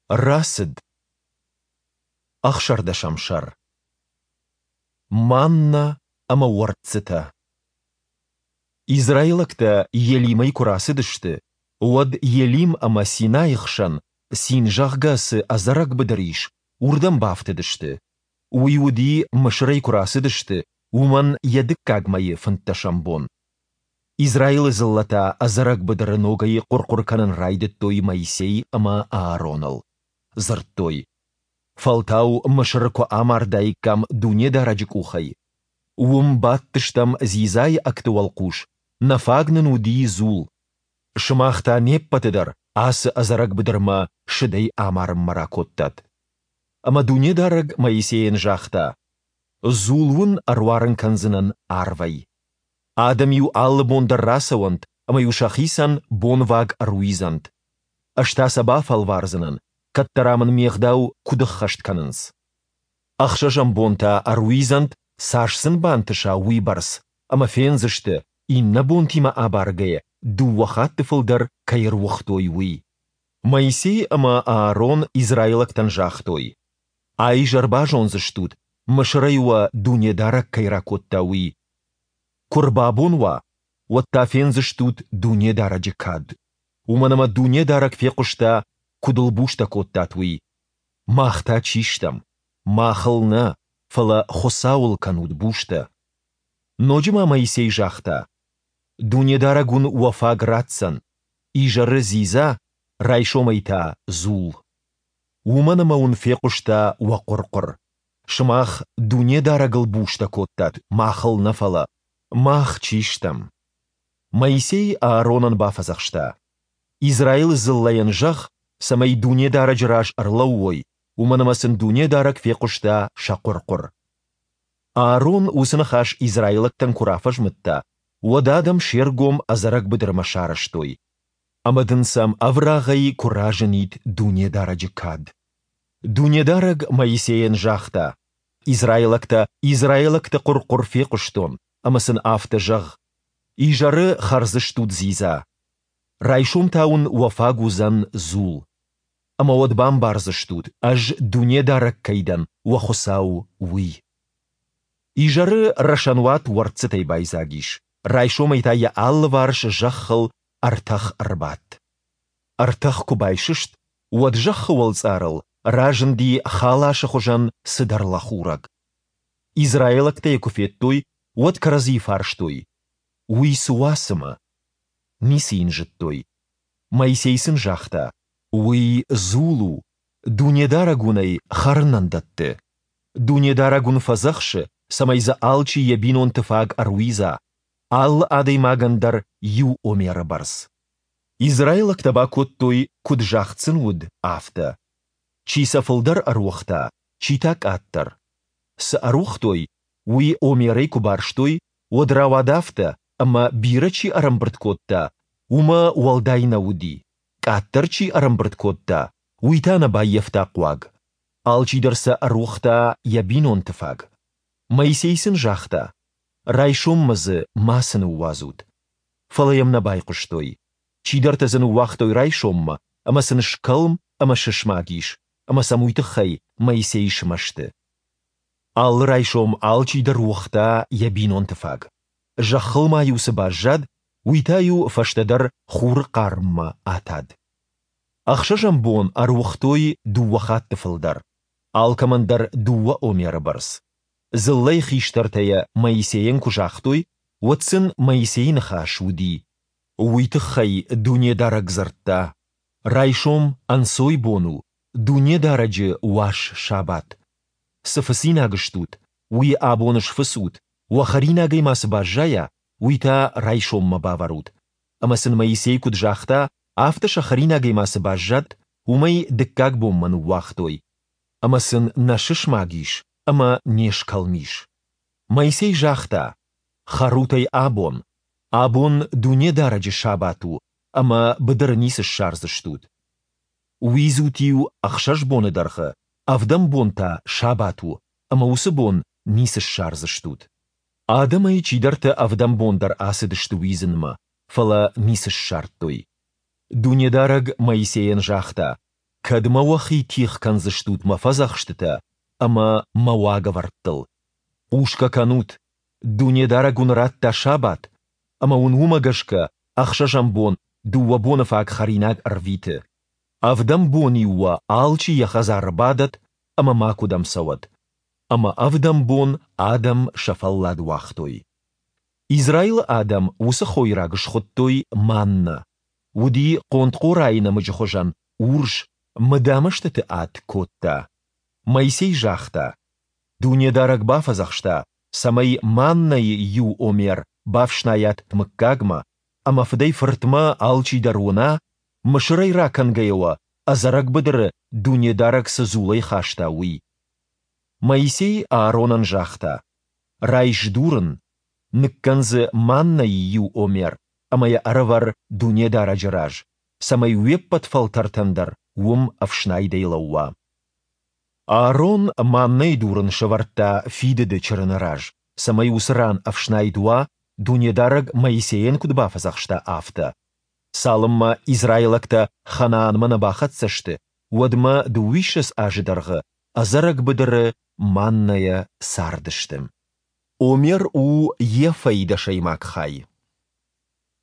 Рацыд. Ӕхсӕрдӕсӕм сӕр. Манна ӕмӕ уӕрццытӕ. Израилӕгтӕ Елимӕй куы рацыдысты, уӕд Елим ӕмӕ Синайы хсӕн, Цин, зӕгъгӕ, цы ӕдзӕрӕг быдыр ис, уырдӕм бафтыдысты. Уый уыди, Мысырӕй куы рацыдысты, уымӕн йӕ дыккаг мӕйы фынддӕсӕм бон. Израилы дзыллӕтӕ ӕдзӕрӕг быдыры ногӕй хъуыр-хъуыр кӕнын райдыдтой Моисей ӕмӕ Аароныл. Дзырдтой: Фӕлтау Мысыры куы амардаиккам Дунедарӕджы къухӕй. Уым бадтыстӕм дзидзайы ӕгты уӕлхъус, нӕ фаг нын уыди дзул. Сымах та не ппӕты дӕр ацы ӕдзӕрӕг быдырмӕ сыдӕй амарынмӕ ракодтат. Ӕмӕ Дунедарӕг Моисейӕн загъта: Дзул уын ӕруарын кӕндзынӕн арвӕй. Адӕм-иу алы бон дӕр рацӕуӕнт ӕмӕ-иу сӕхицӕн бонваг ӕруидзӕнт. Ӕз та сӕ бафӕлвардзынӕн, кӕддӕра мын ме гъдау куыд ӕххӕст кӕнынц. Ӕхсӕзӕм бон та ӕруидзӕнт, цас сын бантыса, уыйбӕрц, ӕмӕ фендзысты, иннӕ бонтимӕ абаргӕйӕ, дыууӕ хатты фылдӕр кӕй ӕруыгътой, уый. Моисей ӕмӕ Аарон израилӕгтӕн загътой: А-изӕр базондзыстут, Мысырӕй уӕ Дунедарӕг кӕй ракодта, уый. Куы рбабон уа, уӕд та фендзыстут Дунедарӕджы кад. Уымӕн ӕмӕ Дунедарӕг фехъуыста, куыд ыл бустӕ кодтат, уый. Мах та чи стӕм? Махыл нӕ, фӕлӕ Хуыцауыл кӕнут бустӕ. Ноджы ма Моисей загъта: Дунедарӕг уын уӕ фаг ратдзӕн, изӕры дзидза, райсомӕй та дзул. Уымӕн ӕмӕ уын фехъуыста уӕ хъуыр-хъуыр. Сымах Дунедарӕгыл бустӕ кодтат, махыл нӕ фӕлӕ. Мах чи стӕм? Моисей Ааронӕн бафӕдзӕхста: Израилы дзыллӕйӕн зӕгъ, цӕмӕй Дунедарӕджы раз ӕрлӕууой, уымӕн ӕмӕ сын Дунедарӕг фехъуыста сӕ хъуыр-хъуыр. Аарон уыцы ныхас израилӕгтӕн куы рафӕзмыдта, уӕд адӕм се ргом ӕдзӕрӕг быдырмӕ сарӕзтой. Ӕмӕ дын сӕм ӕврагъӕй куы разынид Дунедарӕджы кад. Дунедарӕг Моисейӕн загъта: Израилӕгтӕ израилӕгты хъуыр-хъуыр фехъуыстон, ӕмӕ сын афтӕ зӕгъ: Изӕры хӕрдзыстут дзидза. Райсом та уын уӕ фаг уыдзӕн дзул. Ӕмӕ уӕд бамбардзыстут, Ӕз Дунедарӕг кӕй дӕн, уӕ Хуыцау, уый. Изӕры рӕсӕнуат уӕрццытӕй байдзаг ис, райсомӕй та йӕ алыварс зӕххыл ӕртӕх ӕрбадт. Ӕртӕх куы байсыст, уӕд зӕххы уӕлцъарыл разынди халасы хуызӕн цыдӕр лӕхурӕг. Израилӕгтӕ йӕ куы федтой, уӕд кӕрӕдзийы фарстой: Уый цы уа цымӕ? Ницы йын зыдтой. Моисей сын загъта: Уый дзул у, Дунедарӕг уын ӕй хӕрынӕн дӕтты. Дунедарӕг уын фӕдзӕхсы, цӕмӕй дзы алчи йӕ бинонты фаг ӕруидза, алы адӕймагӕн дӕр иу омеры бӕрц. Израилӕгтӕ бакодтой, куыд загъд сын уыд, афтӕ. Чи сӕ фылдӕр ӕруыгъта, чи та къаддӕр. Цы ӕруыгътой, уый омерӕй куы барстой, уӕд рауад афтӕ, ӕмӕ бирӕ чи ӕрӕмбырд кодта, уымӕ уӕлдай нӕ уыди, къаддӕр чи ӕрӕмбырд кодта, уый та нӕ баййӕфта хъуаг. Алчидӕр сӕ ӕруыгъта йӕ бинонты фаг. Моисей сын загъта: Райсоммӕ дзы мацы ныууадзут. Фӕлӕ йӕм нӕ байхъуыстой. Чидӕртӕ дзы ныууагътой райсоммӕ, ӕмӕ сын скӕлм ӕмӕ сысмаг ис, ӕмӕ сӕм уый тыххӕй Моисей смӕсты. Алы райсом алчидӕр уыгъта йӕ бинонты фаг. Зӕххыл ма-иу цы баззад, уый та-иу фӕстӕдӕр хуры хъарммӕ атад. Ӕхсӕзӕм бон ӕруыгътой дыууӕ хатты фылдӕр, алкӕмӕн дӕр дыууӕ омеры бӕрц. Дзыллӕйы хистӕртӕ йӕ Моисейӕн куы загътой, уӕд сын Моисейы ныхас уыди: Уый тыххӕй Дунедарӕг дзырдта: Райсом ӕнцойбон у, Дунедарӕджы уаз сабат. Цы фыцинаг стут, уый абон сфыцут, уӕ хӕринагӕй ма цы баззайа, уый та райсоммӕ бавӕрут. Ӕмӕ сын Моисей куыд загъта, афтӕ сӕ хӕринагӕй ма цы баззад, уымӕй дыккаг бонмӕ ныууагътой. Ӕмӕ сын нӕ сысмаг ис ӕмӕ не скӕлм ис. Моисей загъта: Хӕрут ӕй абон. Абон Дунедарӕджы сабат у, ӕмӕ быдыры ницы ссардзыстут. Уидзут-иу ӕхсӕз боны дӕргъы, ӕвдӕм бон та сабат у, ӕмӕ уыцы бон ницы ссардзыстут. Адӕмӕй чидӕртӕ ӕвдӕм бон дӕр ацыдысты уидзынмӕ, фӕлӕ ницы ссардтой. Дунедарӕг Моисейӕн загъта: Кӕдмӕ уӕхи тигъ кӕндзыстут мӕ фӕдзӕхстытӕ ӕмӕ мӕ уагӕвӕрдтыл? Хъусгӕ кӕнут! Дунедарӕг уын радта сабат, ӕмӕ уын уымӕ гӕсгӕ ӕхсӕзӕм бон дыууӕ боны фаг хӕринаг ӕрвиты. Ӕвдӕм бон-иу уӕ алчи йӕ хӕдзары бадӕд ӕмӕ макуыдӕм цӕуӕд. Ӕмӕ ӕвдӕм бон адӕм сӕ фӕллад уагътой. Израилы адӕм уыцы хойраг схуыдтой маннӕ. Уыди хъонтхъорайы нӕмыджы хуызӕн урс, мыдамӕстыты ад кодта. Моисей загъта, Дунедарӕг бафӕдзӕхста, цӕмӕй маннӕйы иу омер бафснайат мыггагмӕ, ӕмӕ фыдӕй-фыртмӕ алчидӕр уына, Мысырӕй ракӕнгӕйӕ уӕ ӕдзӕрӕг быдыры Дунедарӕг цы дзулӕй хаста, уый. Моисей Ааронӕн загъта, Райс дурын, ныккӕн дзы маннӕйы иу омер ӕмӕ йӕ ӕрӕвӕр Дунедарӕджы раз, цӕмӕй уе ппӕт фӕлтӕртӕн дӕр уым ӕфснайдӕй лӕууа. Аарон маннӕйы дурын сӕвӕрдта Фидыды Чырыны раз, цӕмӕй уыцы ран ӕфснайд уа, Дунедарӕг Моисейӕн куыд бафӕдзӕхста, афтӕ. Цалынмӕ израилӕгтӕ Ханаанмӕ нӕ бахӕццӕ сты, уӕдмӕ дыууиссӕдз азы дӕргъы ӕдзӕрӕг быдыры маннӕйӕ цардысты. Омер у ефӕйы дӕсӕймаг хай.